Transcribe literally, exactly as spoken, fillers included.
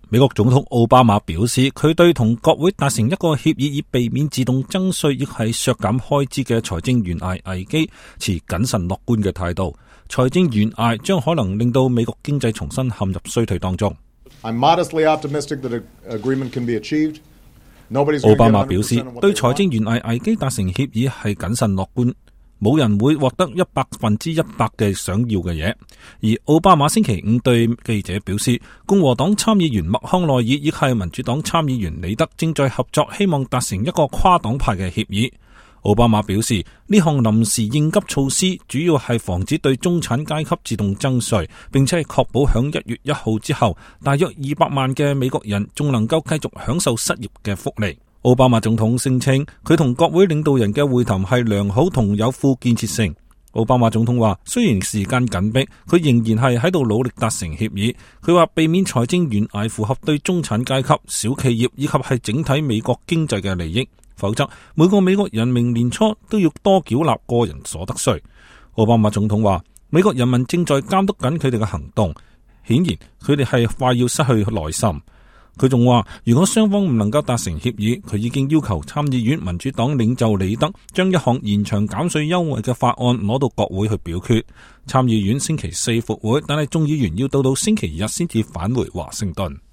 美國總統奧巴馬表示，佢對同國會達成一個協議以避免自動增稅亦係削減開支嘅財政懸崖危機持謹慎樂觀嘅態度。財政懸崖將可能令到美國經濟重新陷入衰退當中。I'm modestly optimistic that an agreement can be achieved. 奧巴馬表示，對財政懸崖危機達成協議係謹慎樂觀。冇人會獲得一百分之一百嘅想要嘅嘢。而奧巴馬星期五對記者表示，共和黨參議員麥康奈爾以及民主黨參議員李德正在合作，希望達成一個跨黨派嘅協議。奧巴馬表示，呢項臨時應急措施主要係防止對中產階級自動增稅，並且係確保響一月一號之後，大約二百萬嘅美國人仲能夠繼續享受失業嘅福利。奧巴馬總統聲稱，佢同國會領導人嘅會談係良好同有富建設性。奧巴馬總統話，雖然時間緊迫，佢仍然係喺度努力達成協議。佢話避免財政懸崖符合對中產階級、小企業以及係整體美國經濟嘅利益，否則每個美國人明年初都要多繳納個人所得稅。奧巴馬總統話，美國人民正在監督緊佢哋嘅行動，顯然佢哋係快要失去耐心。佢仲話，如果雙方唔能夠達成協議，佢已經要求參議院民主黨領袖李德將一項延長減稅優惠嘅法案攞到國會去表決。參議院星期四復會，但係眾議員要到到星期日先至返回華盛頓。